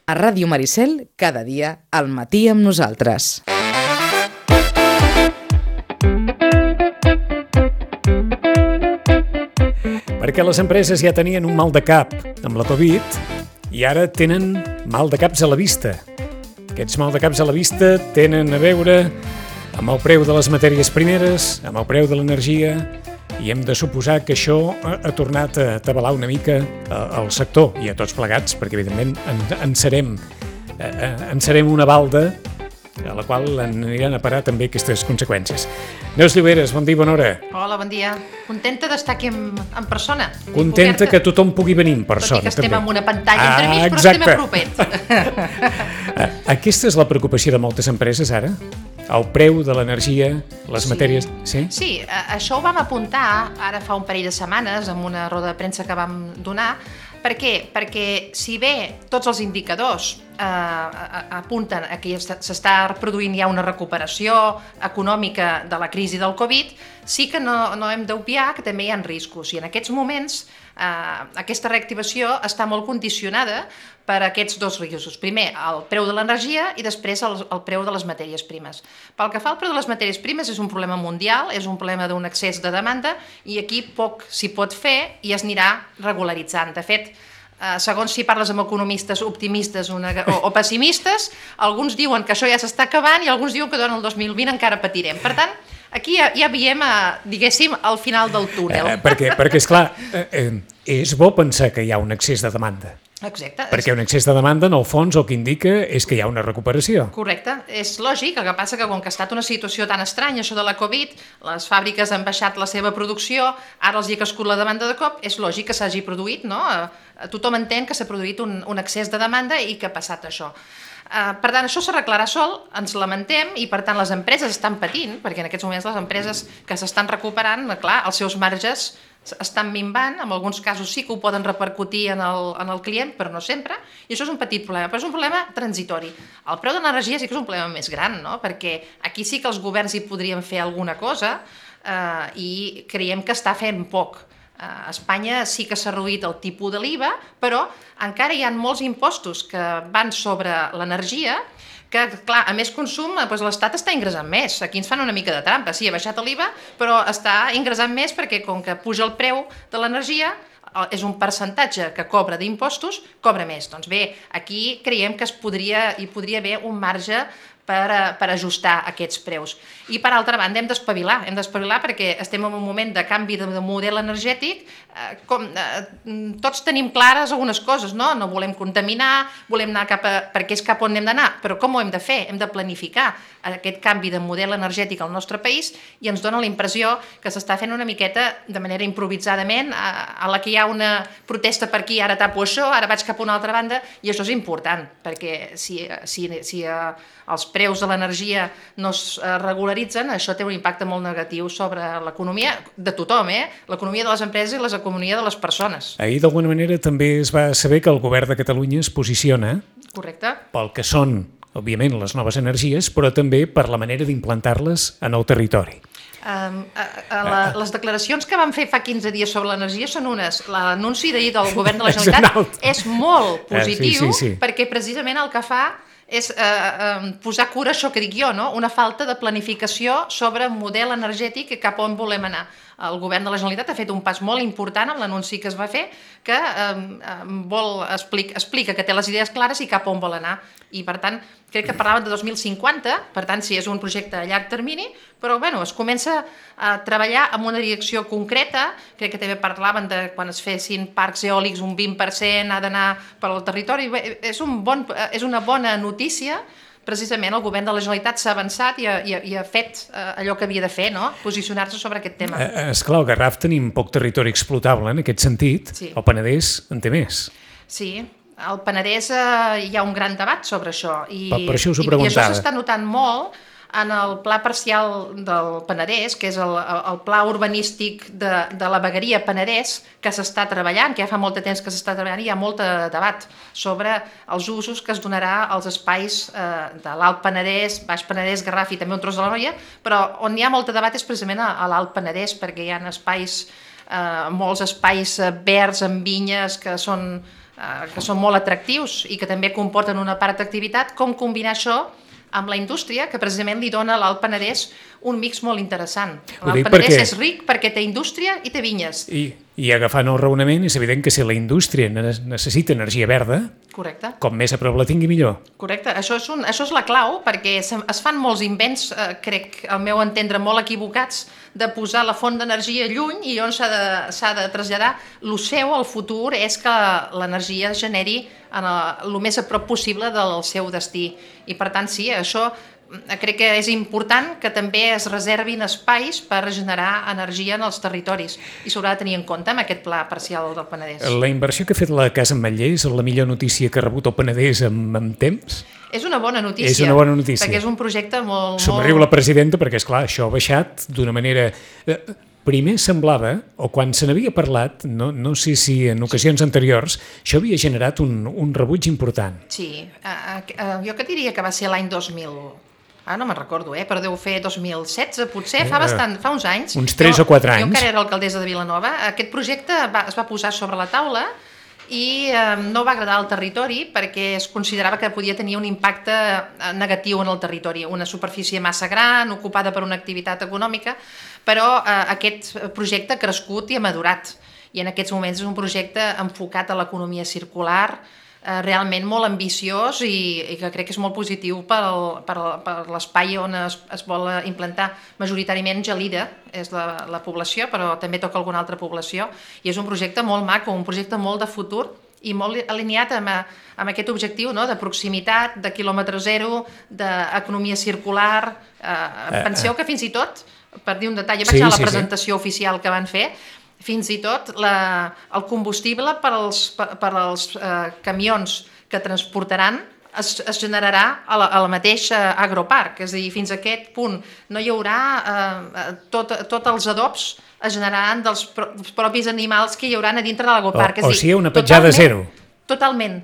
A Ràdio Maricel, cada dia, al matí amb nosaltres. Perquè les empreses ja tenien un mal de cap amb la Covid i ara tenen mal de caps a la vista. Aquests mal de caps a la vista tenen a veure amb el preu de les matèries primeres, amb el preu de l'energia, i hem de suposar que això ha tornat a atabalar una mica el sector i a tots plegats, perquè evidentment en serem una balda a la qual aniran a parar també aquestes conseqüències. Neus Lloberes, bon dia, bona hora. Hola, bon dia. Contenta d'estar aquí en persona. Contenta que tothom pugui venir en persona. Tot i que estem en una pantalla entremig, però exacte. estem apropets. Aquesta és la preocupació de moltes empreses ara? El preu de l'energia, les matèries... Sí? Sí, això ho vam apuntar ara fa un parell de setmanes en una roda de premsa que vam donar. Per què? Perquè si bé tots els indicadors apunten a que s'està produint ja una recuperació econòmica de la crisi del Covid, sí que no hem d'obviar que també hi ha riscos. I en aquests moments aquesta reactivació està molt condicionada per aquests dos riscos. Primer, el preu de l'energia i després el preu de les matèries primes. Pel que fa al preu de les matèries primes, és un problema mundial, és un problema d'un excés de demanda i aquí poc s'hi pot fer i es anirà regularitzant. De fet, segons si parles amb economistes optimistes o pessimistes, alguns diuen que això ja s'està acabant i alguns diuen que durant el 2020 encara patirem. Per tant, aquí ja veiem, diguéssim, al final del túnel. Perquè esclar, és bo pensar que hi ha un excés de demanda. Exacte. Perquè un excés de demanda, en el fons, el que indica és que hi ha una recuperació. Correcte. És lògic, el que passa que com que ha estat una situació tan estranya, això de la Covid, les fàbriques han baixat la seva producció, ara els hi ha crescut la demanda de cop, és lògic que s'hagi produït, no? Tothom entén que s'ha produït un excés de demanda i que ha passat això. Per tant, això s'arreglarà sol, ens lamentem, i per tant les empreses estan patint, perquè en aquests moments les empreses que s'estan recuperant, clar, els seus marges estan minvant, en alguns casos sí que ho poden repercutir en el client, però no sempre, i això és un petit problema, però és un problema transitori. El preu de l'energia sí que és un problema més gran, no? Perquè aquí sí que els governs hi podrien fer alguna cosa i creiem que està fent poc. A Espanya sí que s'ha reduït el tipus de l'IVA, però encara hi ha molts impostos que van sobre l'energia que, clar, a més consum, doncs l'Estat està ingressant més. Aquí ens fan una mica de trampa. Sí, ha baixat l'IVA, però està ingressant més perquè, com que puja el preu de l'energia, és un percentatge que cobra d'impostos, cobra més. Doncs bé, aquí creiem que hi podria haver un marge per ajustar aquests preus. I per altra banda hem d'espavilar perquè estem en un moment de canvi de model energètic, tots tenim clares algunes coses, no volem contaminar, volem anar perquè és cap on hem d'anar, però com ho hem de fer? Hem de planificar aquest canvi de model energètic al nostre país i ens dona la impressió que s'està fent una miqueta de manera improvisadament, a la que hi ha una protesta per aquí, ara tapo això, ara vaig cap a una altra banda, i això és important, perquè si els preus de l'energia no es regularitzen, això té un impacte molt negatiu sobre l'economia de tothom, l'economia de les empreses i l'economia de les persones. Ahir, d'alguna manera, també es va saber que el govern de Catalunya es posiciona pel que són, òbviament, les noves energies, però també per la manera d'implantar-les en el territori. Les declaracions que van fer fa 15 dies sobre l'energia són unes. L'anunci d'ahir del govern de la Generalitat és molt positiu perquè precisament el que fa és posar cura a això que dic jo, no? Una falta de planificació sobre model energètic i cap on volem anar. El govern de la Generalitat ha fet un pas molt important amb l'anunci que es va fer, que explica que té les idees clares i cap on vol anar. I, per tant, crec que parlaven de 2050, per tant, sí, és un projecte a llarg termini, però es comença a treballar en una direcció concreta. Crec que també parlaven de quan es fessin parcs eòlics, un 20% ha d'anar per al territori. És una bona notícia. Precisament el govern de la Generalitat s'ha avançat i ha fet allò que havia de fer, no? Posicionar-se sobre aquest tema. Esclar, al Garraf tenim poc territori explotable en aquest sentit. El Penedès en té més. Sí, al Penedès hi ha un gran debat sobre això. Per això us ho preguntava. I això s'està notant molt en el pla parcial del Penedès, que és el pla urbanístic de la vegueria Penedès, que s'està treballant, que ja fa molt de temps que s'està treballant, i hi ha molt de debat sobre els usos que es donarà als espais de l'Alt Penedès, Baix Penedès, Garraf i també un tros de l'Anoia, però on hi ha molt de debat és precisament a l'Alt Penedès, perquè hi ha espais, molts espais verds amb vinyes que són que són molt atractius i que també comporten una part d'activitat, com combinar això amb la indústria, que precisament li dona a l'Alt Penedès un mix molt interessant. L'Alt Penedès és ric perquè té indústria i té vinyes. I agafant el raonament, és evident que si la indústria necessita energia verda, correcte, com més a prop la tingui millor. Correcte, això és la clau, perquè es fan molts invents, crec, al meu entendre, molt equivocats, de posar la font d'energia lluny i on s'ha de traslladar. Lo seu, al futur, és que l'energia es generi el més a prop possible del seu destí. I per tant, sí, això crec que és important que també es reservin espais per regenerar energia en els territoris i s'haurà de tenir en compte amb aquest pla parcial del Penedès. La inversió que ha fet la Casa Ametller és la millor notícia que ha rebut el Penedès amb temps? És una bona notícia. És una bona notícia. Perquè és un projecte molt... Somriu la presidenta perquè, esclar, això ha baixat d'una manera... Primer semblava, o quan se n'havia parlat, no sé si en ocasions anteriors, això havia generat un rebuig important. Sí, jo que diria que va ser l'any 2000... no me'n recordo, però deu fer 2016, potser, fa uns anys. Uns 3 o 4 anys. Jo encara era alcaldessa de Vilanova. Aquest projecte es va posar sobre la taula i no va agradar al territori perquè es considerava que podia tenir un impacte negatiu en el territori, una superfície massa gran, ocupada per una activitat econòmica, però aquest projecte ha crescut i ha madurat. I en aquests moments és un projecte enfocat a l'economia circular, realment molt ambiciós i que crec que és molt positiu per l'espai on es vol implantar. Majoritàriament Gelida és la població, però també toca alguna altra població, i és un projecte molt maco, un projecte molt de futur i molt alineat amb aquest objectiu de proximitat, de quilòmetre zero, d'economia circular. Penseu que fins i tot, per dir un detall, vaig a la presentació oficial que van fer, fins i tot el combustible per als camions que transportaran es generarà al mateix agroparc, és a dir, fins a aquest punt no hi haurà tots els adobs es generaran dels propis animals que hi hauran a dintre de l'agroparc. O sigui, una petjada zero. Totalment.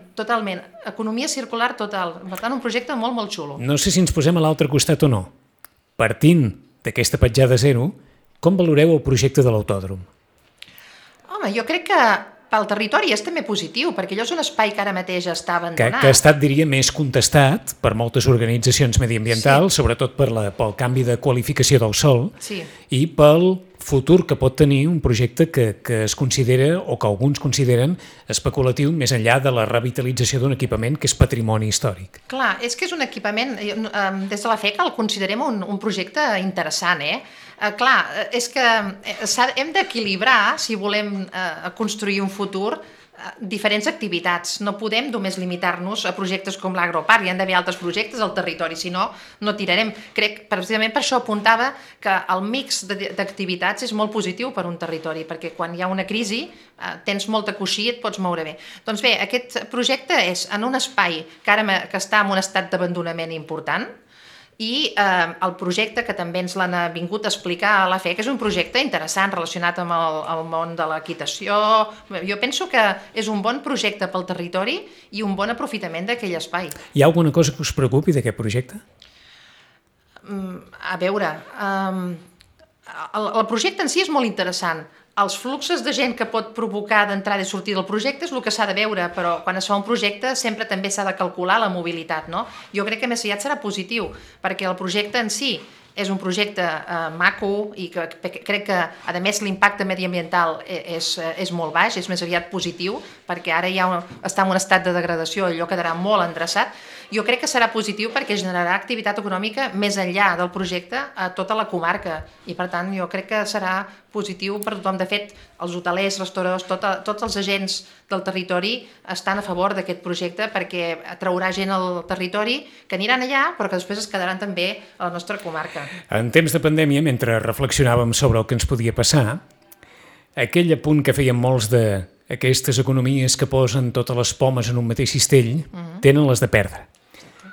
Economia circular total. Per tant, un projecte molt, molt xulo. No sé si ens posem a l'altre costat o no. Partint d'aquesta petjada zero, com valoreu el projecte de l'autòdrom? Home, jo crec que pel territori és també positiu, perquè allò és un espai que ara mateix està abandonat. Que ha estat, diria, més contestat per moltes organitzacions mediambientals, sobretot pel canvi de qualificació del sòl, i pel futur que pot tenir un projecte que es considera, o que alguns consideren, especulatiu més enllà de la revitalització d'un equipament que és patrimoni històric. Clar, és que és un equipament, des de la FECA el considerem un projecte interessant, Clar, és que hem d'equilibrar, si volem construir un futur, diferents activitats. No podem només limitar-nos a projectes com l'agroparc, hi ha d'haver altres projectes al territori, si no, no tirarem. Crec, precisament per això apuntava que el mix d'activitats és molt positiu per un territori, perquè quan hi ha una crisi tens molta coixí i et pots moure bé. Doncs bé, aquest projecte és en un espai que està en un estat d'abandonament important, i el projecte que també ens l'han vingut a explicar a la FEC és un projecte interessant relacionat amb el món de l'equitació. Jo penso que és un bon projecte pel territori i un bon aprofitament d'aquell espai. Hi ha alguna cosa que us preocupi d'aquest projecte? A veure, el projecte en si és molt interessant. Els fluxos de gent que pot provocar d'entrada i sortir del projecte és el que s'ha de veure, però quan es fa un projecte sempre també s'ha de calcular la mobilitat, no? Jo crec que més aviat serà positiu, perquè el projecte en si és un projecte maco i que crec que, a més, l'impacte mediambiental és molt baix, és més aviat positiu, perquè ara ja està en un estat de degradació, allò quedarà molt endreçat. Jo crec que serà positiu perquè generarà activitat econòmica més enllà del projecte a tota la comarca i, per tant, jo crec que serà positiu per tothom. De fet, els hotelers, restauradors, tots els agents del territori estan a favor d'aquest projecte perquè atraurà gent al territori que aniran allà però que després es quedaran també a la nostra comarca. En temps de pandèmia, mentre reflexionàvem sobre el que ens podia passar, aquell apunt que feien molts d'aquestes economies que posen totes les pomes en un mateix cistell tenen les de perdre.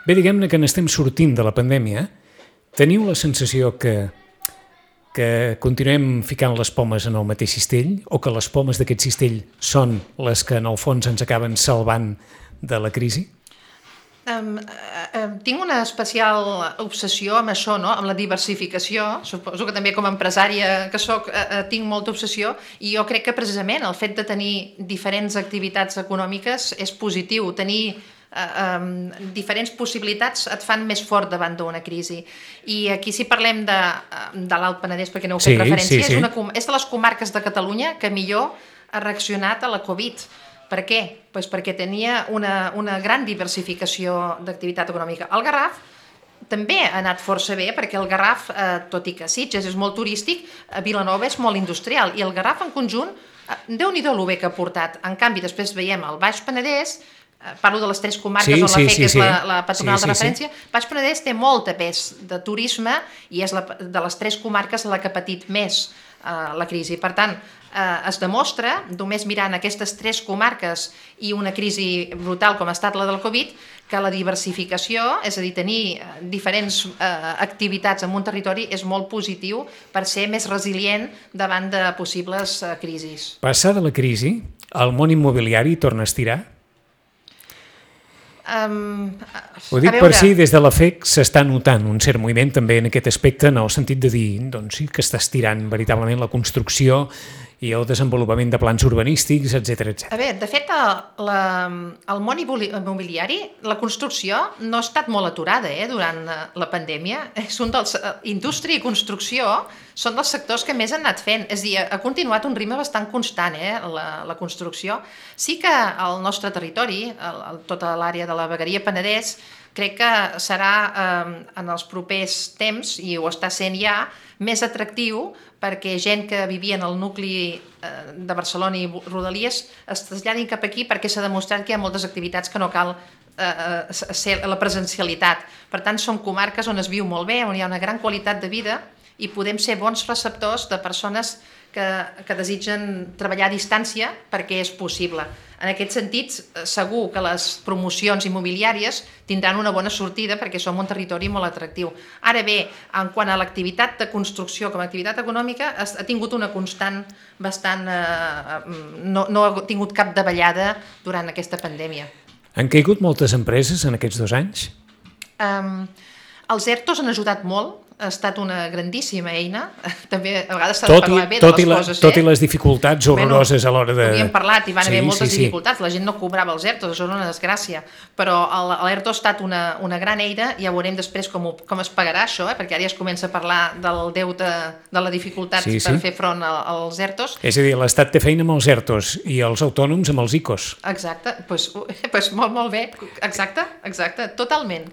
Bé, diguem-ne que n'estem sortint de la pandèmia. Teniu la sensació que continuem ficant les pomes en el mateix cistell o que les pomes d'aquest cistell són les que en el fons ens acaben salvant de la crisi? Tinc una especial obsessió amb això, no? Amb la diversificació. Suposo que també com a empresària que soc tinc molta obsessió, i jo crec que precisament el fet de tenir diferents activitats econòmiques és positiu. Tenir diferents possibilitats et fan més fort davant d'una crisi. I aquí, si parlem de l'Alt Penedès, perquè no heu fet referència, és de les comarques de Catalunya que millor ha reaccionat a la Covid. Per què? Pues perquè tenia una gran diversificació d'activitat econòmica. El Garraf també ha anat força bé, perquè el Garraf, tot i que Sitges és molt turístic, Vilanova és molt industrial, i el Garraf en conjunt, Déu-n'hi-do lo bé que ha portat. En canvi, després veiem el Baix Penedès, parlo de les 3 comarques on la FEC és la patronal de referència. Baix Penedès té molta pes de turisme i és de les 3 comarques la que ha patit més la crisi. Per tant, es demostra, només mirant aquestes 3 comarques i una crisi brutal com ha estat la del Covid, que la diversificació, és a dir, tenir diferents activitats en un territori és molt positiu per ser més resilient davant de possibles crisis. Passada la crisi, el món immobiliari torna a estirar? Ho dic per si des de la FEC s'està notant un cert moviment també en aquest aspecte, en el sentit de dir, doncs sí, que està estirant veritablement la construcció i el desenvolupament de plans urbanístics, etc. A veure, de fet, el món immobiliari, la construcció no ha estat molt aturada durant la pandèmia. Indústria i construcció són dels sectors que més han anat fent. És a dir, ha continuat un ritme bastant constant, la construcció. Sí que el nostre territori, tota l'àrea de la vegueria Penedès, crec que serà en els propers temps, i ho està sent ja, més atractiu perquè gent que vivia en el nucli de Barcelona i Rodalies es traslladin cap aquí, perquè s'ha demostrat que hi ha moltes activitats que no cal ser la presencialitat. Per tant, són comarques on es viu molt bé, on hi ha una gran qualitat de vida i podem ser bons receptors de persones que desitgen treballar a distància perquè és possible. En aquest sentit, segur que les promocions immobiliàries tindran una bona sortida perquè som un territori molt atractiu. Ara bé, en quant a l'activitat de construcció com a activitat econòmica, ha tingut una constant bastant... no ha tingut cap davallada durant aquesta pandèmia. Han caigut moltes empreses en aquests 2 anys? Els ERTOs han ajudat molt. Ha estat una grandíssima eina. També a vegades s'ha de parlar bé de les coses. Tot i les dificultats horroroses a l'hora de... Havíem parlat i van haver moltes dificultats. La gent no cobrava els ERTOs, això és una desgràcia. Però l'ERTO ha estat una gran eina, i ja veurem després com es pagarà això, perquè ara ja es comença a parlar del deute, de la dificultat per fer front als ERTOs. És a dir, l'Estat té feina amb els ERTOs i els autònoms amb els ICOs. Exacte, doncs molt bé. Exacte, totalment.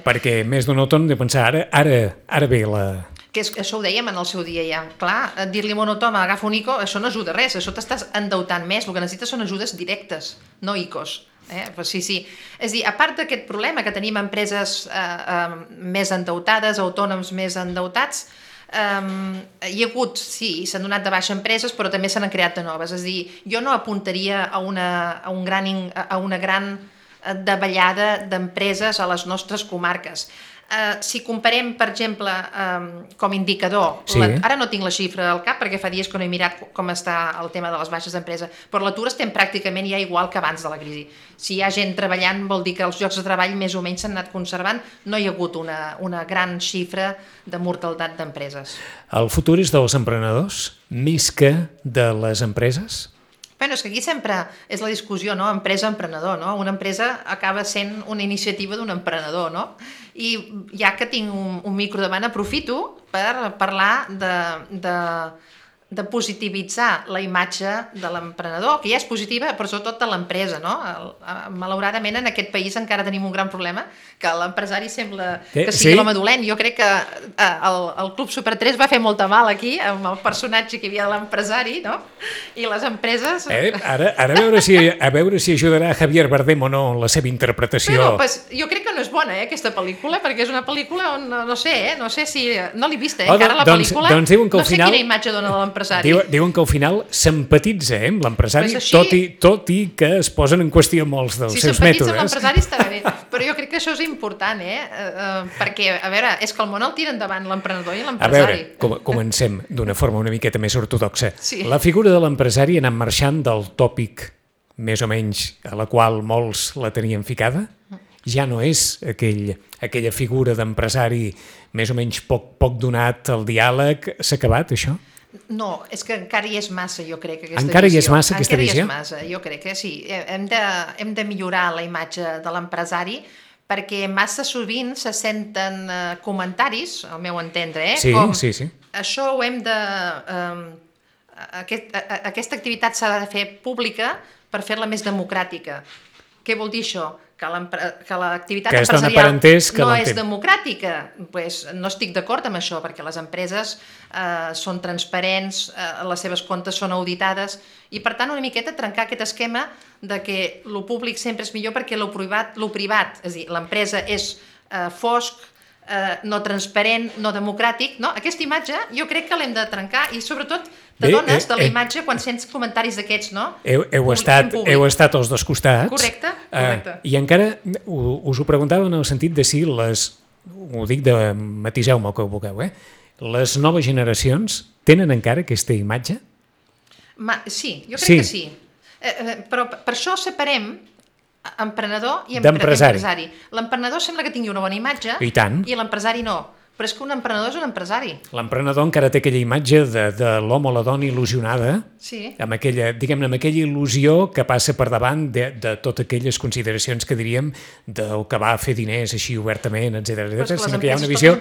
Perquè més d'un autònom de pensar, ara bé que això ho dèiem en el seu dia ja. Clar, dir-li a un autònom agafa un ICO, això no ajuda res, això t'estàs endeutant més, el que necessites són ajudes directes, no ICOs. Sí. És a dir, a part d'aquest problema que tenim empreses més endeutades, autònoms més endeutats, hi ha hagut, sí, s'han donat de baixa empreses, però també se n'han creat de noves. És a dir, jo no apuntaria a una gran davallada d'empreses a les nostres comarques. Si comparem, per exemple, com a indicador, ara no tinc la xifra al cap perquè fa dies que no he mirat com està el tema de les baixes d'empresa, però l'atur estem pràcticament ja igual que abans de la crisi. Si hi ha gent treballant vol dir que els llocs de treball més o menys s'han anat conservant, no hi ha hagut una gran xifra de mortalitat d'empreses. El futur és dels emprenedors més que de les empreses? És que aquí sempre és la discussió, no? Empresa-emprenedor, no? Una empresa acaba sent una iniciativa d'un emprenedor, no? I ja que tinc un micro davant, aprofito per parlar de positivitzar la imatge de l'emprenedor, que ja és positiva, però sobretot de l'empresa, no? Malauradament, en aquest país encara tenim un gran problema, que l'empresari sembla que sigui l'home dolent. Jo crec que el Club Super 3 va fer molta mal aquí, amb el personatge que hi havia de l'empresari, no? I les empreses... Ara a veure si ajudarà Javier Bardem o no en la seva interpretació. Jo crec que no és bona, aquesta pel·lícula, perquè és una pel·lícula on, no sé si... No l'he vista, encara la pel·lícula. Doncs diuen que al final... No sé quina imatge dona de l'empresari. Diuen que al final s'empatitza amb l'empresari, tot i que es posen en qüestió molts dels seus mètodes. Si s'empatitza amb l'empresari estarà bé, però jo crec que això és important, perquè, a veure, és que el món el tira endavant l'emprenedor i l'empresari. A veure, comencem d'una forma una miqueta més ortodoxa. Sí. La figura de l'empresari ha anat marxant del tòpic, més o menys, a la qual molts la tenien ficada? ja no és aquella figura d'empresari més o menys poc donat al diàleg. S'ha acabat, això? No, és que encara hi és massa, jo crec, aquesta encara visió. Hi és massa, aquesta visió? Encara hi és massa, jo crec que sí. Hem de millorar la imatge de l'empresari perquè massa sovint se senten comentaris, al meu entendre, sí, com sí. això ho hem de... Aquesta activitat s'ha de fer pública per fer-la més democràtica. Què vol dir això? Que l'activitat empresarial no és democràtica. Pues no estic d'acord amb això, perquè les empreses són transparents, les seves comptes són auditades, i per tant una miqueta trencar aquest esquema de que lo públic sempre és millor perquè lo privat, és a dir, l'empresa és fosc, no transparent, no democràtic, no? Aquesta imatge jo crec que l'hem de trencar i sobretot t'adones de la imatge quan sents comentaris d'aquests, no? Heu estat als dos costats. Correcte. I encara us ho preguntava en el sentit de si ho dic matiseu-me el que vulgueu, les noves generacions tenen encara aquesta imatge? Sí, jo crec que sí. Però per això separem emprenedor i empresari. L'emprenedor sembla que tingui una bona imatge i l'empresari no. Però és que un emprenedor és un empresari. L'emprenedor encara té aquella imatge de l'home o la dona il·lusionada, amb aquella il·lusió que passa per davant de totes aquelles consideracions que diríem del que va a fer diners així obertament, etc. Sinó que hi ha una visió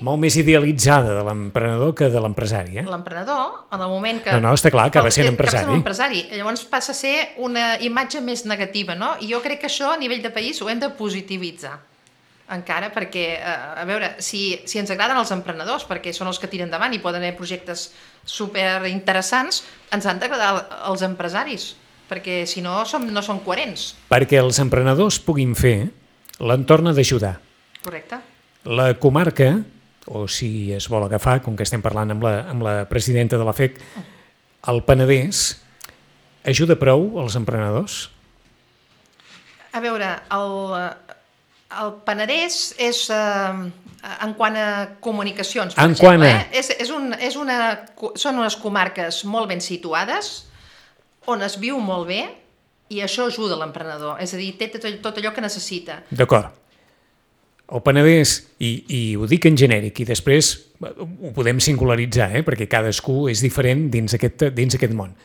molt més idealitzada de l'emprenedor que de l'empresari. L'emprenedor, en el moment que... No, està clar, acaba sent empresari. Llavors passa a ser una imatge més negativa, no? I jo crec que això a nivell de país ho hem de positivitzar. Encara, perquè, a veure, si ens agraden els emprenedors, perquè són els que tiren endavant i poden haver projectes superinteressants, ens han d'agradar els empresaris, perquè si no, no són coherents. Perquè els emprenedors puguin fer, l'entorn ha d'ajudar. Correcte. La comarca, o si es vol agafar, com que estem parlant amb la presidenta de la FEC, el Penedès, ajuda prou els emprenedors? A veure, el Penedès és, en quant a comunicacions, per exemple, són unes comarques molt ben situades, on es viu molt bé, i això ajuda l'emprenedor, és a dir, té tot allò que necessita. D'acord. El Penedès, i ho dic en genèric, i després ho podem singularitzar, perquè cadascú és diferent dins aquest món.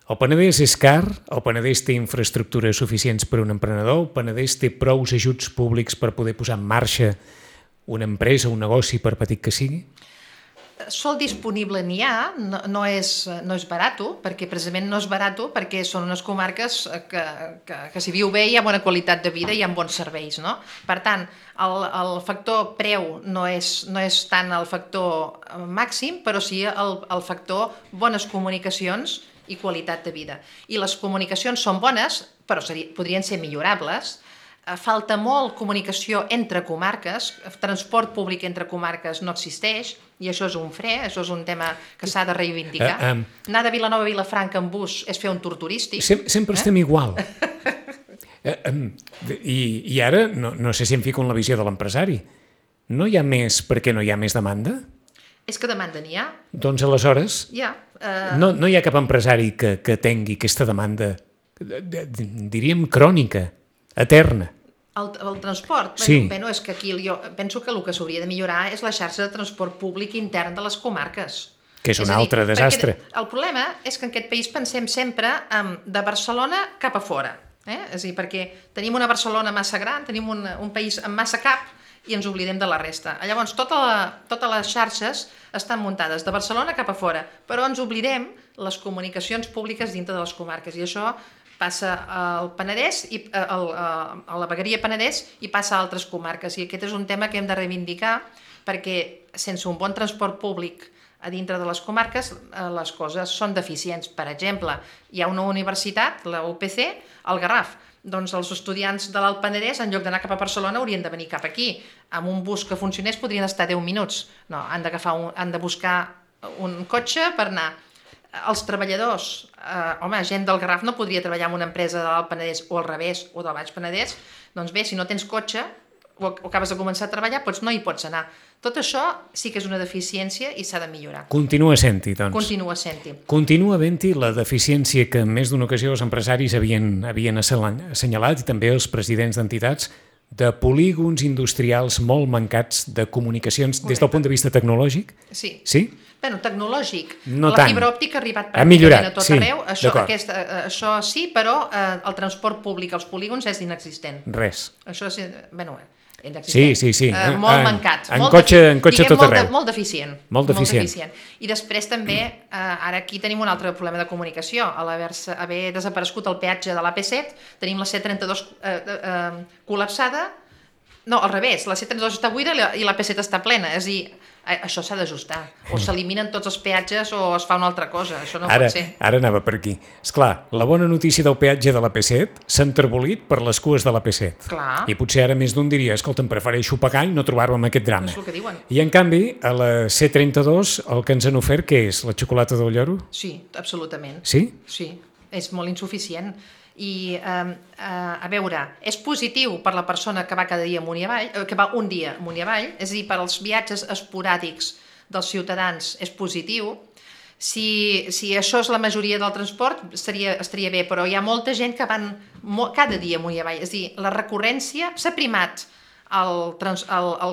El Penedès és car, el Penedès té infraestructures suficients per a un emprenedor, el Penedès té prous ajuts públics per poder posar en marxa una empresa, un negoci, per petit que sigui? Sol disponible n'hi ha, no és barat, perquè precisament no és barat, perquè són unes comarques que s'hi viu bé, hi ha bona qualitat de vida i hi ha bons serveis, no? Per tant, el factor preu no és tant el factor màxim, però sí el factor bones comunicacions i qualitat de vida. I les comunicacions són bones, però podrien ser millorables. Falta molt comunicació entre comarques, transport públic entre comarques no existeix, i això és un fre, això és un tema que s'ha de reivindicar. Anar de Vilanova a Vilafranca en bus és fer un tour turístic. Sempre estem igual. I ara, no sé si em fico en la visió de l'empresari, no hi ha més perquè no hi ha més demanda? És que demanda n'hi ha. Doncs aleshores, no hi ha cap empresari que tingui aquesta demanda, diríem, crònica, eterna. El transport? Sí. Bé, és que aquí jo penso que el que s'hauria de millorar és la xarxa de transport públic intern de les comarques. Que és un altre desastre. El problema és que en aquest país pensem sempre de Barcelona cap a fora. És a dir, perquè tenim una Barcelona massa gran, tenim un país amb massa cap, i ens oblidem de la resta. Llavors, totes les xarxes estan muntades de Barcelona cap a fora, però ens oblidem les comunicacions públiques dintre de les comarques, i això passa al Penedès, a la vegueria Penedès, i passa a altres comarques, i aquest és un tema que hem de reivindicar, perquè sense un bon transport públic a dintre de les comarques les coses són deficients. Per exemple, hi ha una universitat, la UPC, al Garraf. Doncs els estudiants de l'Alt Penedès, en lloc d'anar cap a Barcelona, haurien de venir cap aquí. Amb un bus que funcionés podrien estar 10 minuts. No, han de buscar un cotxe per anar. Els treballadors, gent del Garraf no podria treballar en una empresa de l'Alt Penedès o al revés, o del Baix Penedès. Doncs bé, si no tens cotxe o acabes de començar a treballar, doncs no hi pots anar. Tot això sí que és una deficiència i s'ha de millorar. Continua sent-hi, doncs. Continua sent-hi. Continua havent-hi la deficiència que en més d'una ocasió els empresaris havien assenyalat, i també els presidents d'entitats, de polígons industrials molt mancats de comunicacions des del punt de vista tecnològic? Sí. Sí? Bueno, tecnològic. No la tant. fibra òptica ha arribat Ha millorat, pràcticament a tot sí, arreu. Això sí, però el transport públic als polígons és inexistent. Res. Això és, bueno, inexistent. Sí. Molt mancat. En cotxe tot arreu. Molt deficient. Molt deficient. I després també, ara aquí tenim un altre problema de comunicació. A haver desaparegut el peatge de l'AP7, tenim la C32 col·lapsada. No, al revés, la C32 està buida i l'AP7 està plena. És a dir, això s'ha d'ajustar. O s'eliminen tots els peatges o es fa una altra cosa. Això no pot ser. Ara anava per aquí. Esclar, la bona notícia del peatge de l'AP7 s'ha enterbolit per les cues de l'AP7. Clar. I potser ara més d'un diria, escolta'm, prefereixo pagar i no trobar-me amb aquest drama. És el que diuen. I en canvi, a la C32 el que ens han ofert, què és? La xocolata del lloro? Sí, absolutament. Sí? Sí, és molt insuficient. I, a veure, és positiu per la persona que va cada dia amunt i avall, que va un dia amunt i avall, és a dir, per als viatges esporàdics dels ciutadans és positiu. Si això és la majoria del transport, estaria bé, però hi ha molta gent que van cada dia amunt i avall. És a dir, la recurrència s'ha primat el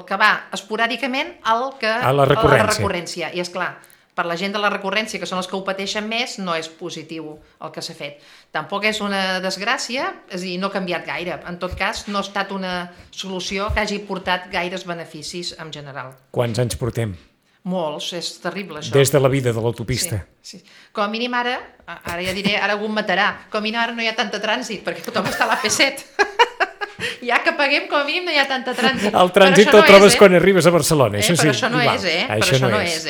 que va esporàdicament a la recurrència. I, esclar, per la gent de la recurrència, que són els que ho pateixen més, no és positiu el que s'ha fet. Tampoc és una desgràcia, és a dir, no ha canviat gaire. En tot cas, no ha estat una solució que hagi portat gaires beneficis en general. Quants anys portem? Molts, és terrible això. Des de la vida de l'autopista. Sí. Com a mínim ara ja diré, ara algú em matarà, com a mínim ara no hi ha tanta trànsit, perquè tothom està a l'AP7. Ja que paguem, com a mínim no hi ha tanta trànsit. El trànsit el trobes quan arribes a Barcelona, això sí. Però això no és, Per això no és.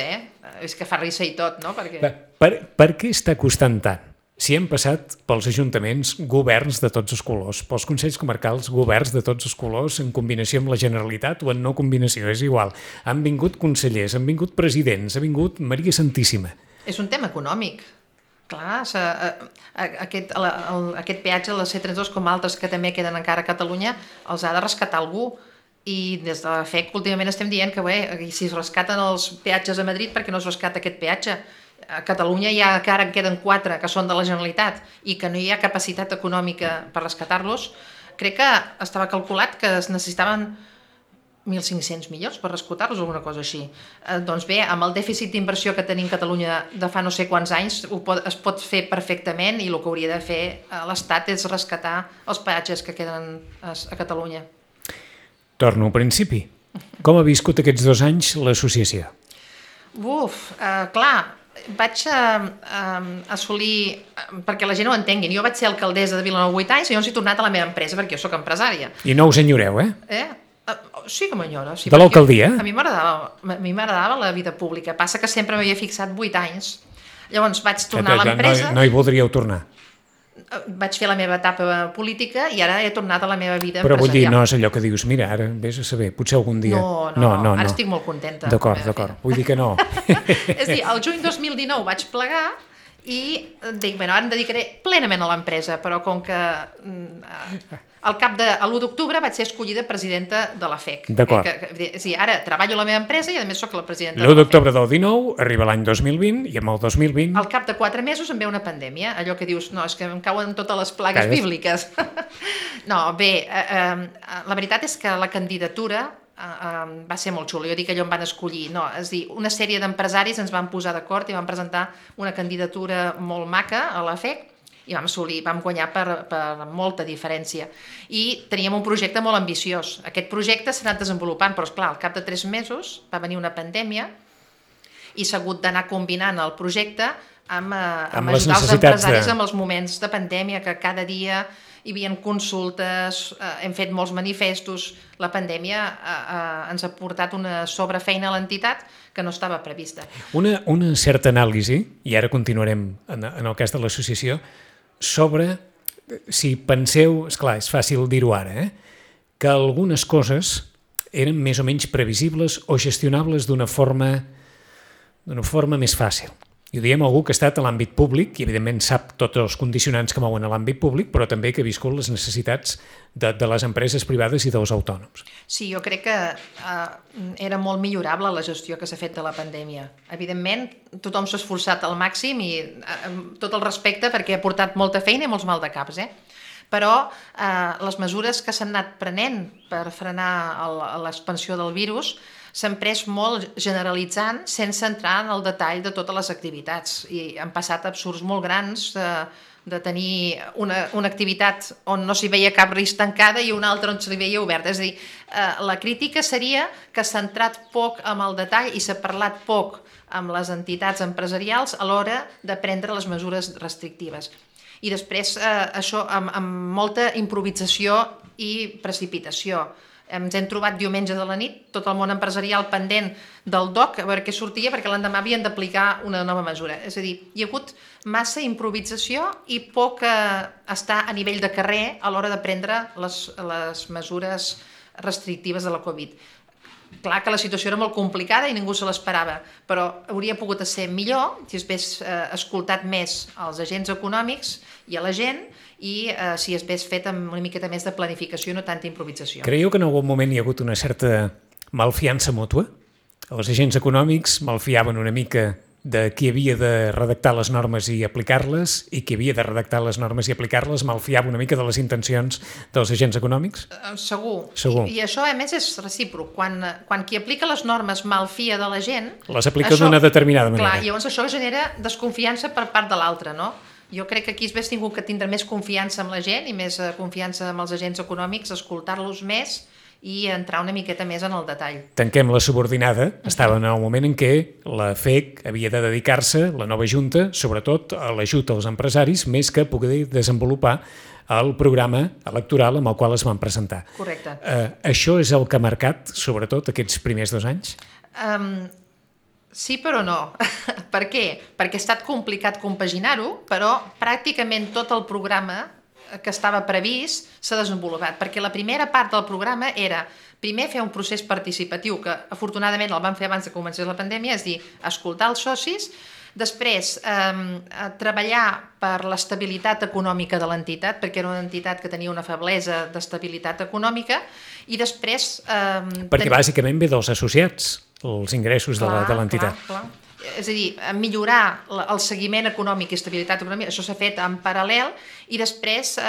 És que fa risa i tot, no? Per què està costant tant? Si hem passat pels ajuntaments governs de tots els colors, pels consells comarcals governs de tots els colors, en combinació amb la Generalitat o en no combinació, és igual. Han vingut consellers, han vingut presidents, ha vingut Maria Santíssima. És un tema econòmic. Clar, aquest peatge de la C32, com altres que també queden encara a Catalunya, els ha de rescatar algú. I des de la FEC últimament estem dient que si es rescaten els peatges a Madrid, per què no es rescata aquest peatge? A Catalunya encara en queden 4 que són de la Generalitat i que no hi ha capacitat econòmica per rescatar-los. Crec que estava calculat que es necessitaven 1.500 milions per rescatar-los o alguna cosa així. Doncs bé, amb el dèficit d'inversió que tenim a Catalunya de fa no sé quants anys es pot fer perfectament i el que hauria de fer l'Estat és rescatar els peatges que queden a Catalunya. Torno al principi. Com ha viscut aquests 2 anys l'associació? Clar, vaig assolir, perquè la gent ho entenguin, jo vaig ser alcaldessa de Vilanova 8 anys i llavors he tornat a la meva empresa perquè jo sóc empresària. I no us enyoreu, Sí que m'enyoro. Sí, de l'alcaldia? A mi m'agradava la vida pública, passa que sempre m'havia fixat 8 anys. Llavors vaig tornar a l'empresa... No hi voldríeu tornar? Vaig fer la meva etapa política i ara he tornat a la meva vida empresarial. Però vull dir, no és allò que dius, mira, ara vés a saber, potser algun dia... No, ara estic molt contenta. D'acord, vull dir que no. És a dir, el juny 2019 vaig plegar i dic, ara em dedicaré plenament a l'empresa, però com que l'1 d'octubre vaig ser escollida presidenta de la FEC. D'acord. És a dir, ara treballo a la meva empresa i a més soc la presidenta de la FEC. L'1 d'octubre del 19 arriba l'any 2020 i amb el 2020... Al cap de 4 mesos em ve una pandèmia, allò que dius, no, és que em cauen totes les plagues bíbliques. No, bé, la veritat és que la candidatura va ser molt xula. Jo dic que allò em van escollir. No, és a dir, una sèrie d'empresaris ens van posar d'acord i van presentar una candidatura molt maca a la FEC i vam guanyar per molta diferència. I teníem un projecte molt ambiciós. Aquest projecte s'ha anat desenvolupant, però esclar, al cap de 3 mesos va venir una pandèmia i s'ha hagut d'anar combinant el projecte amb ajudar els empresaris amb els moments de pandèmia, que cada dia hi havia consultes, hem fet molts manifestos. La pandèmia ens ha portat una sobrefeina a l'entitat que no estava prevista. Una certa anàlisi, i ara continuarem en el cas de l'associació, sobre, si penseu, esclar, és fàcil dir-ho ara, que algunes coses eren més o menys previsibles o gestionables d'una forma més fàcil. I ho diem a algú que ha estat a l'àmbit públic i evidentment sap tots els condicionants que mouen a l'àmbit públic, però també que ha viscut les necessitats de les empreses privades i dels autònoms. Sí, jo crec que era molt millorable la gestió que s'ha fet de la pandèmia. Evidentment, tothom s'ha esforçat al màxim i tot el respecte perquè ha portat molta feina i molts maldecaps, Però les mesures que s'han anat prenent per frenar l'expansió del virus s'han pres molt generalitzant sense entrar en el detall de totes les activitats i han passat absurds molt grans de tenir una activitat on no s'hi veia cap risc tancada i una altra on s'hi veia oberta. És a dir, la crítica seria que s'ha entrat poc amb el detall i s'ha parlat poc amb les entitats empresarials a l'hora de prendre les mesures restrictives. I després això amb molta improvisació i precipitació. Ens hem trobat diumenge de la nit, tot el món empresarial pendent del DOC, a veure què sortia, perquè l'endemà havien d'aplicar una nova mesura. És a dir, hi ha hagut massa improvisació i poc estar a nivell de carrer a l'hora de prendre les mesures restrictives de la Covid. Clar que la situació era molt complicada i ningú se l'esperava, però hauria pogut ser millor si s'hagués escoltat més als agents econòmics i a la gent i si s'hagués fet amb una miqueta més de planificació i no tanta improvisació. Creieu que en algun moment hi ha hagut una certa malfiança mútua? Els agents econòmics malfiaven una mica de qui havia de redactar les normes i aplicar-les i qui havia de redactar les normes i aplicar-les malfiava una mica de les intencions dels agents econòmics? Segur. I això, a més, és recíproc. Quan qui aplica les normes malfia de la gent... Les aplica d'una determinada manera. Clar, llavors això genera desconfiança per part de l'altre, no? Jo crec que aquí s'hagués tingut que tindre més confiança amb la gent i més confiança amb els agents econòmics, escoltar-los més i entrar una miqueta més en el detall. Tanquem la subordinada. Estava en el moment en què la FEC havia de dedicar-se, la nova Junta, sobretot a l'ajut als empresaris, més que poder desenvolupar el programa electoral amb el qual es van presentar. Correcte. Això és el que ha marcat, sobretot, aquests primers 2 anys? Sí, però no. Per què? Perquè ha estat complicat compaginar-ho, però pràcticament tot el programa que estava previst s'ha desenvolupat, perquè la primera part del programa era primer fer un procés participatiu, que afortunadament el vam fer abans de començar la pandèmia, és dir, escoltar els socis, després treballar per l'estabilitat econòmica de l'entitat, perquè era una entitat que tenia una feblesa d'estabilitat econòmica, i després... Perquè bàsicament ve dels associats, els ingressos de l'entitat. Clar. És a dir, millorar el seguiment econòmic i estabilitat econòmica, això s'ha fet en paral·lel, i després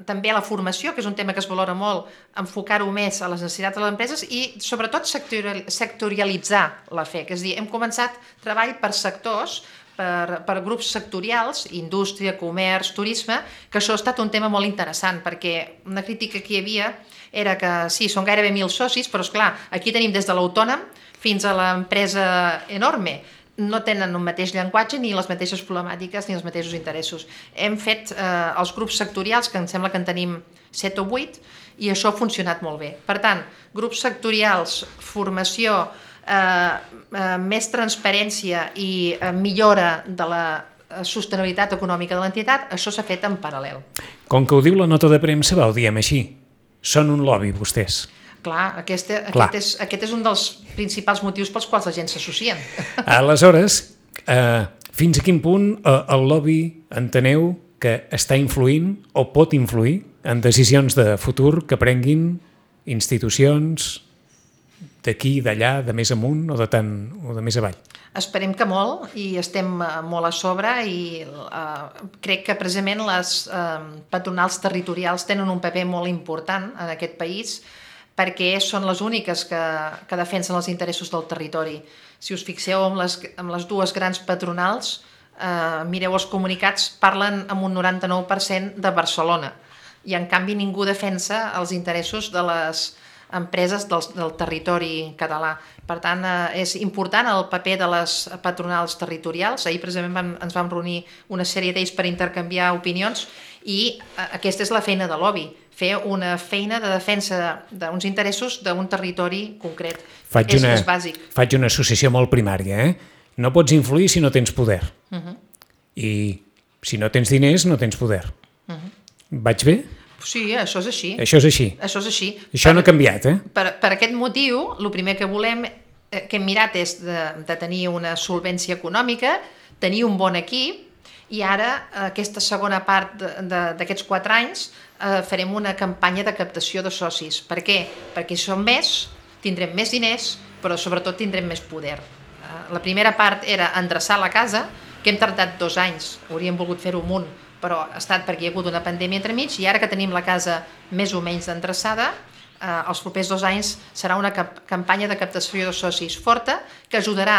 també la formació, que és un tema que es valora molt, enfocar-ho més a les necessitats de les empreses i sobretot sectorialitzar la FEC. És a dir, hem començat treball per sectors, per grups sectorials, indústria, comerç, turisme, que això ha estat un tema molt interessant, perquè una crítica que hi havia era que sí, són gairebé 1.000 socis, però esclar, aquí tenim des de l'autònom fins a l'empresa enorme. No tenen un mateix llenguatge, ni les mateixes problemàtiques, ni els mateixos interessos. Hem fet els grups sectorials, que em sembla que en tenim 7 o 8, i això ha funcionat molt bé. Per tant, grups sectorials, formació, més transparència i millora de la sostenibilitat econòmica de l'entitat, això s'ha fet en paral·lel. Com que ho diu la nota de premsa, ho diem així. Són un lobby, vostès. Clar, aquest és un dels principals motius pels quals la gent s'associen. Aleshores, fins a quin punt el lobby enteneu que està influint o pot influir en decisions de futur que prenguin institucions d'aquí, d'allà, de més amunt o de més avall? Esperem que molt, i estem molt a sobre, i crec que precisament les patronals territorials tenen un paper molt important en aquest país, perquè són les úniques que defensen els interessos del territori. Si us fixeu amb les dues grans patronals, mireu els comunicats, parlen amb un 99% de Barcelona, i en canvi ningú defensa els interessos de les empreses del territori català. Per tant, és important el paper de les patronals territorials. Ahir precisament ens vam reunir una sèrie d'ells per intercanviar opinions, i aquesta és la feina de lobby, fer una feina de defensa d'uns interessos d'un territori concret. És bàsic. Faig una associació molt primària. No pots influir si no tens poder. I si no tens diners, no tens poder. Vaig bé? Sí, això és així. Això és així. Això és així. Això no ha canviat, Per aquest motiu, el primer que volem, que hem mirat és de tenir una solvència econòmica, tenir un bon equip, i ara, aquesta segona part d'aquests 4 anys, farem una campanya de captació de socis. Per què? Perquè si som més, tindrem més diners, però sobretot tindrem més poder. La primera part era endreçar la casa, que hem tardat 2 anys, hauríem volgut fer-ho amunt, però ha estat perquè hi ha hagut una pandèmia entremig, i ara que tenim la casa més o menys endreçada, els propers 2 anys serà una campanya de captació de socis forta que ajudarà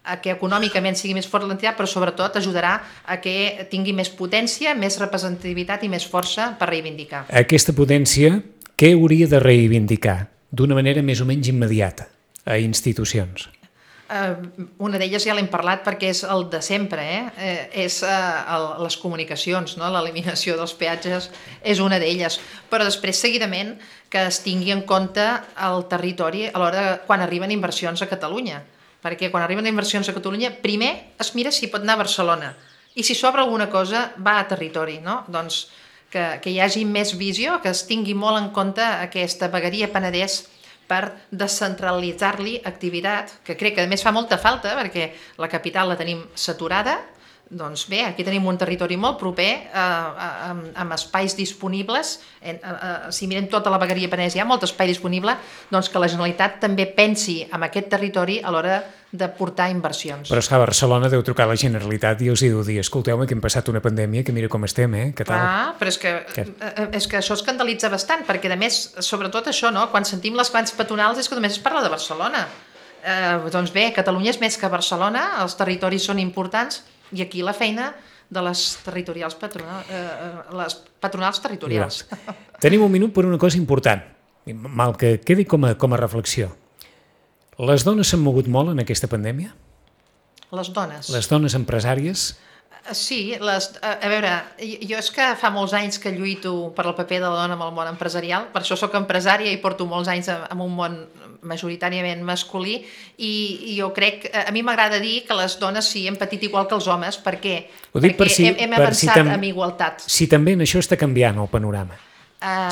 a que econòmicament sigui més fort l'entitat, però sobretot ajudarà a que tingui més potència, més representativitat i més força per reivindicar. Aquesta potència, què hauria de reivindicar d'una manera més o menys immediata a institucions? Una d'elles ja l'hem parlat perquè és el de sempre, és les comunicacions, no? L'eliminació dels peatges és una d'elles, però després seguidament que es tingui en compte el territori a l'hora quan arriben inversions a Catalunya, perquè quan arriben inversions a Catalunya primer es mira si pot anar a Barcelona i si s'obre alguna cosa va a territori, no? Doncs que hi hagi més visió, que es tingui molt en compte aquesta vegueria Penedès per descentralitzar-li activitat, que crec que a més fa molta falta perquè la capital la tenim saturada. Doncs bé, aquí tenim un territori molt proper, amb espais disponibles. Si mirem tota la vegueria Penedès, hi ha molt espai disponible, doncs que la Generalitat també pensi en aquest territori a l'hora de portar inversions. Però és que a Barcelona deu trucar a la Generalitat i els deu dir, escolteu-me que hem passat una pandèmia, que mira com estem, què tal? Però és que això escandalitza bastant, perquè a més, sobretot això, no? Quan sentim les grans patronals és que només es parla de Barcelona. Doncs bé, Catalunya és més que Barcelona, els territoris són importants, i aquí la feina de les patronals territorials. Tenim un minut per una cosa important, mal que quedi com a reflexió. Les dones s'han mogut molt en aquesta pandèmia? Les dones? Les dones empresàries? Sí, a veure, jo és que fa molts anys que lluito per el paper de la dona en el món empresarial, per això sóc empresària i porto molts anys en un món majoritàriament masculí, i jo crec, a mi m'agrada dir que les dones sí hem patit igual que els homes, perquè hem avançat amb igualtat. Si també en això està canviant el panorama,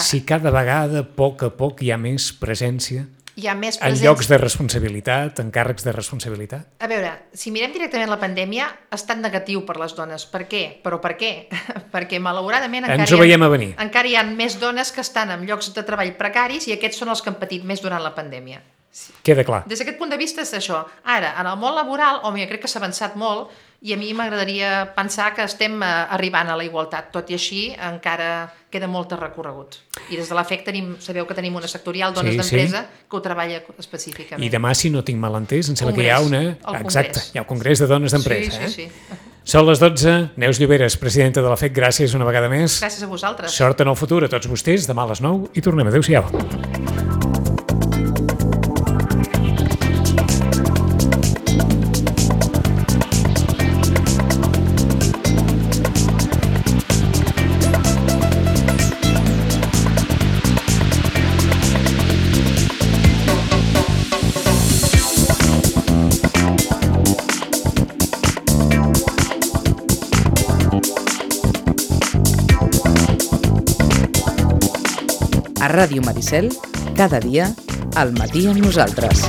si cada vegada, a poc hi ha més presència en llocs de responsabilitat, en càrrecs de responsabilitat? A veure, si mirem directament la pandèmia, ha estat negatiu per les dones. Per què? Però per què? Perquè malauradament encara hi ha més dones que estan en llocs de treball precaris i aquests són els que han patit més durant la pandèmia. Queda clar. Des d'aquest punt de vista és això. Ara, en el món laboral, jo crec que s'ha avançat molt i a mi m'agradaria pensar que estem arribant a la igualtat. Tot i així, encara queda molt recorregut. I des de la FEC sabeu que tenim una sectorial Dones d'Empresa que ho treballa específicament. I demà, si no tinc mal entès, em sembla que hi ha hi ha el Congrés de Dones d'Empresa. Sí. Són les 12. Neus Lloberes, presidenta de la FEC, gràcies una vegada més. Gràcies a vosaltres. Sort en el futur a tots vostès. Demà a les 9 i tornem. Adéu-siau. A Ràdio Maricel, cada dia, al matí amb nosaltres.